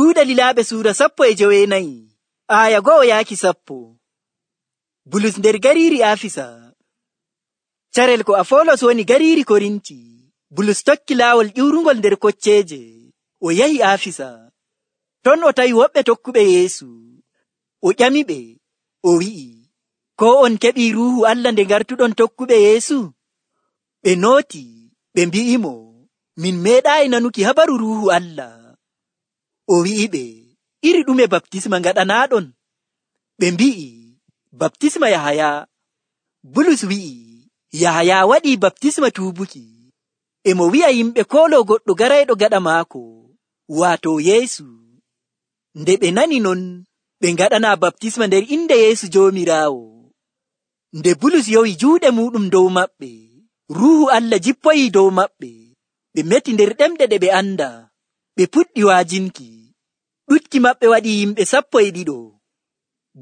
Yahuuda Lilaaɓe suura 14 aya 1-10. Bulus nder gariiri Afisa. Carel ko Afolos woni gariiri Korinti, Bulus tokki laawol ƴiwrungol nder kocceeje, o yahi Afisa. Ton o tawi woɓɓe tokkuɓe Yeesu. O ƴamiɓe, o wi'i, ko on keɓii Ruuhu Allah nde ngartuɗon tokkuɓe Yeesu? Ɓe nooti, ɓe mbi'imo, min meeɗaayi nanuki habaru Ruuhu Allah. O wi'iɓe, iri ɗume baptisma ngaɗanaaɗon? Ɓe mbi'i, baptisma Yahaya. Bulus wi'i, Yahaya waɗii baptisma tuubuki. E mo wi'a yimɓe kooloo goɗɗo garayɗo gaɗa maako, waato Yeesu. Nde ɓe nani non, ɓe ngaɗanaa baptisma nder inde Yeesu Joomiraawo. Nde Bulus yowi juuɗe muuɗum dow maɓɓe, Ruuhu Allah jippoyii dow maɓɓe. Ɓe meti nder ɗemɗe ɗe ɓe anda, ɓe puɗɗi waajinki. Ɗuɗki maɓɓe waɗi yimɓe 12.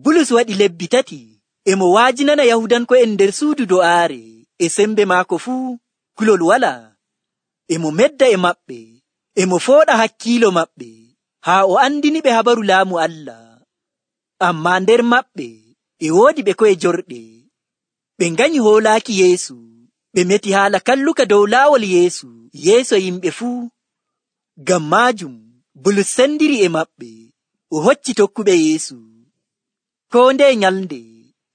Bulus waɗi lebbi 3 e mo waajinana Yahudanko'en nder suudu do'aare, e sembe maako fuu, kulol walaa. E mo medda e maɓɓe, e mo fooɗa hakkiilo maɓɓe, haa o andiniɓe habaru laamu Allah. Ammaa nder maɓɓe e woodi ɓe ko'e jorɗe. Ɓe nganyi hoolaaki Yeesu, ɓe meti haala kalluka dow laawol Yeesu yeeso yimɓe fuu. Ngam maajum Bulus sendiri e maɓɓe, o hocci tokkuɓe Yeesu. Koo ndeye nyalnde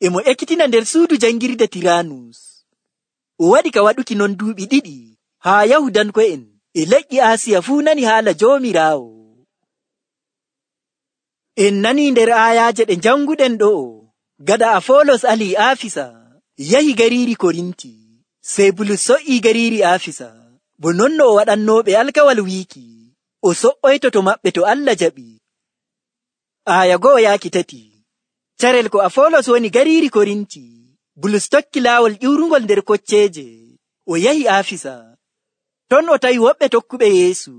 e mo ekkitina nder suudu jangirde Tiraanus. O waɗi ka waɗuki non duuɓi 2 haa Yahudanko'en e leƴƴi Aasiya fuu nani haala Joomiraawo. En nanii nder aayaaje ɗe janguɗen ɗo'o, gada Afolos alii Afisa, yahi gariiri Korinti, sey Bulus so'ii gariiri Afisa, bo non no o waɗannooɓe alkawal wiiki, o so'oyto to maɓɓe to Allah jaɓi. Aya 1-3. Carel ko Afolos woni gariiri Korinti, Bulus tokki laawol ƴiwrungol nder kocceeje, o yahi Afisa. Ton o tawi woɓɓe tokkuɓe Yeesu.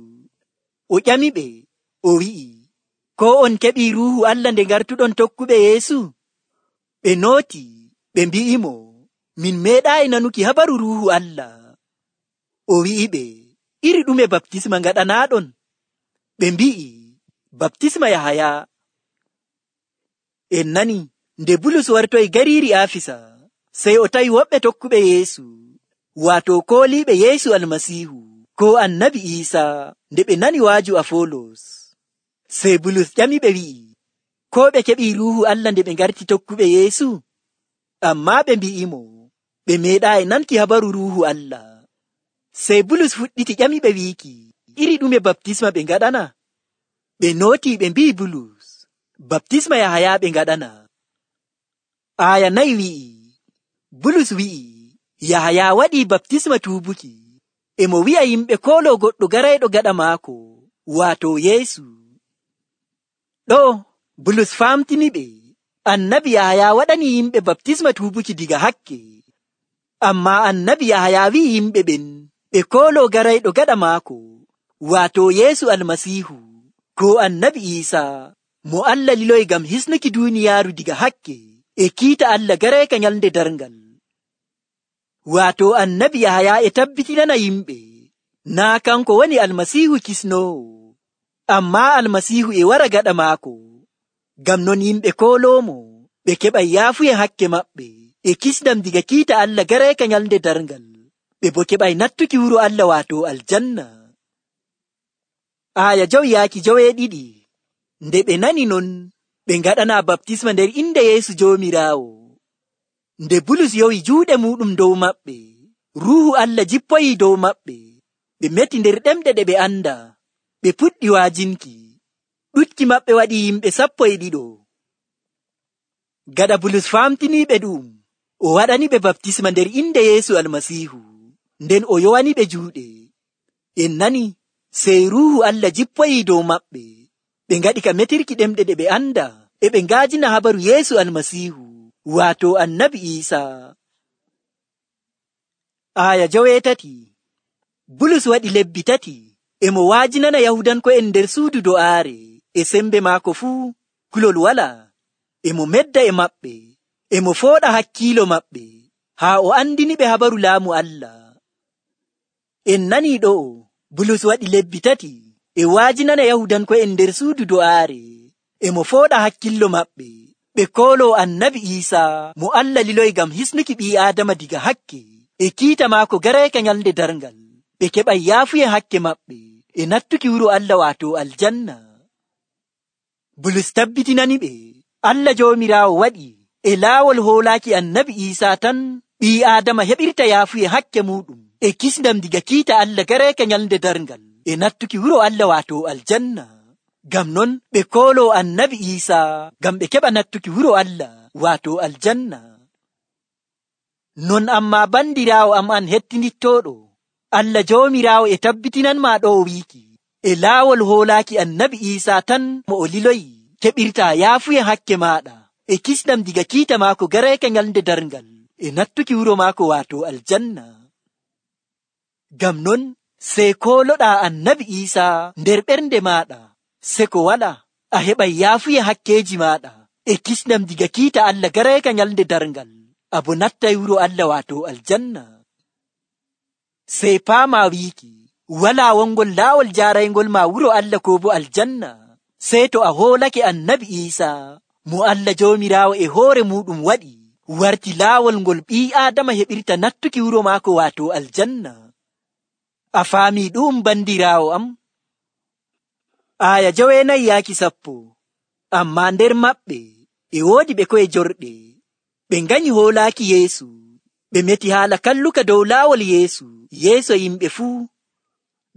O ƴamiɓe, o wi'i, ko on keɓii Ruuhu Allah nde ngartuɗon tokkuɓe Yeesu? Ɓe nooti, ɓe mbi'imo, min meeɗaayi nanuki habaru Ruuhu Allah. O wi'iɓe, iri ɗume baptisma ngaɗanaaɗon? Ɓe mbi'i, baptisma Yahaya. En nani, nde Bulus wartoyi gariiri Afisa, sey o tawi woɓɓe tokkuɓe Yeesu, waato kooliiɓe Yeesu Almasiihu, ko Annabi Iisaa, nde ɓe nani waaju Afolos. Sey Bulus ƴamiɓe wi'i, ko ɓe keɓii Ruuhu Allah nde ɓe ngarti tokkuɓe Yeesu? Ammaa ɓe mbi'imo, ɓe meeɗaayi nanki habaru Ruuhu Allah. Sey Bulus fuɗɗiti ƴamiɓe wiiki, iri ɗume baptisma ɓe ngaɗana? Ɓe nootii ɓe mbi'i Bulus, baptisma Yahaya ɓe ngaɗana. Aya 4 wi'i, Bulus wi'i, Yahaya waɗii baptisma tuubuki, e mo wi'a yimɓe kooloo goɗɗo garayɗo gaɗa maako, waato Yeesu. Ɗo Bulus faamtiniɓe, Annabi Yahaya waɗani yimɓe baptisma tuubuki diga hakke. Ammaa Annabi Yahaya wi'i yimɓe ɓen ɓe kooloo garayɗo gaɗa maako, waato Yeesu Almasiihu, ko Annabi Iisaa, mo Allah liloyi ngam hisnuki duuniyaaru diga hakke e kiita Allah garayka nyalnde darngal. Waato Annabi Yahaya e tabbitinana yimɓe, naa kanko woni Almasiihu kisnoowo, ammaa Almasiihu e wara gaɗa maako. Ngam non yimɓe kooloomo, ɓe keɓay yaafuye hakke maɓɓe e kisdam diga kiita Allah garayka nyalnde darngal, ɓe bo keɓay nattuki wuro Allah waato aljanna. Aya 5-2. Nde ɓe nani non, ɓe ngaɗanaa baptisma nder inde Yeesu Joomiraawo. Nde Bulus yowi juuɗe muuɗum dow maɓɓe, Ruuhu Allah jippoyii dow maɓɓe. Ɓe meti nder ɗemɗe ɗe ɓe anda, ɓe puɗɗi waajinki. Ɗuɗki maɓɓe waɗi yimɓe 12. Gada Bulus faamtiniiɓe ɗum, o waɗaniɓe baptisma nder inde Yeesu Almasiihu, nden o yowaniɓe juuɗe. En nani, sey Ruuhu Allah jippoyii dow maɓɓe. Ɓe ngaɗi ka metirki ɗemɗe ɗe ɓe anda, e ɓe ngaajina habaru Yeesu Almasiihu, waato Annabi Iisaa. Aya 8. Bulus waɗi lebbi 3 e mo waajinana Yahudanko'en nder suudu do'aare, e sembe maako fuu, kulol walaa. E mo medda e maɓɓe, e mo fooɗa hakkiilo maɓɓe, haa o andiniɓe habaru laamu Allah. En nanii ɗo'o, Bulus waɗi lebbi 3 e waajinana Yahudanko'en nder suudu do'aare, e mo fooɗa hakkillo maɓɓe, ɓe kooloo Annabi Iisaa mo Allah liloyi ngam hisnuki ɓii Aadama diga hakke, e kiita maako gareeka nyalnde darngal, ɓe keɓay yaafuye hakke maɓɓe, e nattuki wuro Allah waato aljanna. Bulus tabbitinani ɓe Allah Joomiraawo waɗi e laawol hoolaaki Annabi Iisaa tan ɓii Aadama heɓirta yaafuye hakke muɗum, e kisndam diga kiita Allah gareeka nyalnde darngal, e nattuki wuro Allah waato aljanna. Ngam non ɓe kooloo Annabi Iisaa ngam ɓe keɓa nattuki wuro Allah waato aljanna. Non ammaa bandiraawo am an hettinittooɗo, Allah Joomiraawo e tabbitinanmaa ɗo wiiki e laawol hoolaaki Annabi Iisaa tan mo o liloyi keɓirtaa yaafuye hakke maaɗa, e kisndam diga kiita maako gareeka nyalnde darngal, e nattuki wuro maako waato aljanna. Ngam non sey kooloɗaa Annabi Iisaa nder ɓernde maaɗa, se ko wala a heɓay yaafuye hakkeeji maaɗa, e kisndam diga kiita Allah gareeka nyalnde darngal, abo nattay wuro Allah waato aljanna. Sey paamaa wiiki walaa wongol laawol jaarayngol ma wuro Allah koo bo aljanna, sey to a hoolake Annabi Iisaa mo Allah Joomiraawo e hoore muɗum waɗi warti laawol ngol ɓii Aadama heɓirta nattuki wuro maako waato aljanna. A faamii ɗum bandiraawo am? Aya 9-10. Ammaa nder maɓɓe e woodi ɓe ko'e jorɗe, ɓe nganyi hoolaaki Yeesu, ɓe meti haala kalluka dow laawol Yeesu yeeso yimɓe fuu.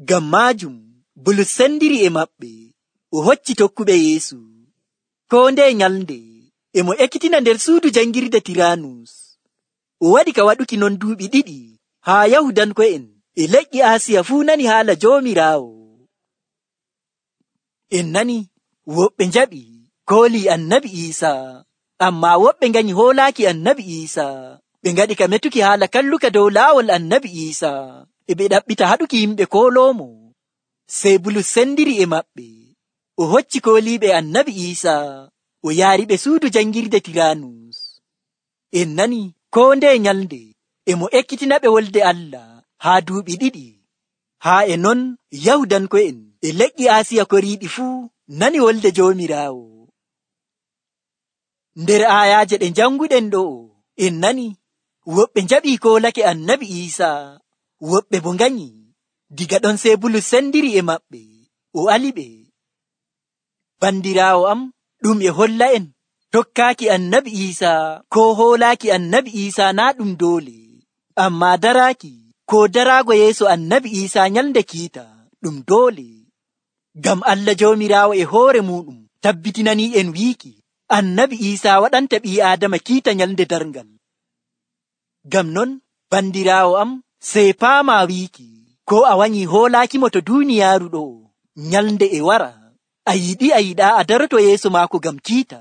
Ngam maajum Bulus sendiri e maɓɓe, o hocci tokkuɓe Yeesu. Koo ndeye nyalnde e mo ekkitina nder suudu jangirde Tiraanus. O waɗi ka waɗuki non duuɓi 2 haa Yahudanko'en e leƴƴi Aasiya fuu nani haala Joomiraawo. En nani woɓɓe njaɓi koolii Annabi Iisaa, ammaa woɓɓe nganyi hoolaaki Annabi Iisaa, ɓe ngaɗi ka metuki haala kalluka dow laawol Annabi Iisaa, e ɓe ɗaɓɓita haɗuki yimɓe kooloomo. Sey Bulus sendiri e maɓɓe, o hocci kooliiɓe Annabi Iisaa, o yaariɓe suudu jangirde Tiraanus. En nani koo ndeye nyalnde e mo ekkitina ɓe wolde Allah haa duuɓi 2, haa e non Yahudanko'en e leƴƴi Aasiya koriiɗi fuu nani wolde Joomiraawo. Nder aayaaje ɗe janguɗen ɗo, en nani woɓɓe njaɓii koolake Annabi Iisaa, woɓɓe bo nganyi. Diga ɗon sey Bulus sendiri e maɓɓe, o aliɓe. Bandiraawo am, ɗum e holla en tokkaaki Annabi Iisaa koo hoolaaki Annabi Iisaa naa ɗum doole, ammaa daraaki koo daraago yeeso Annabi Iisaa nyalnde kiita ɗum doole. Ngam Allah Joomiraawo e hoore muɗum tabbitinanii en wiiki Annabi Iisaa waɗanta ɓii Aadama kiita nyalnde darngal. Ngam non bandiraawo am, sey paamaa wiiki ko a wanyi hoolaakimo to duuniyaaru ɗo, nyalnde e wara a yiɗi a yiɗaa a daroto yeeso maako ngam kiita.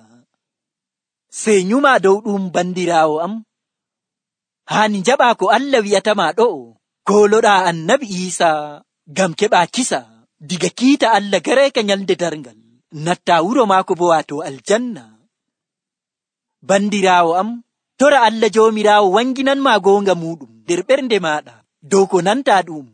Sey nyumaa dow ɗum bandiraawo am, haani njaɓaa ko Allah wi'atama ɗo, kooloɗaa Annabi Iisaa ngam keɓaa kisa diga kiita Allah gareeka nyalnde darngal, nattaa wuro maako bo waato aljanna. Bandiraawo am, tora Allah Joomiraawo wanginanmaa goonga muɗum nder ɓernde maaɗa dow ko nantaa ɗum.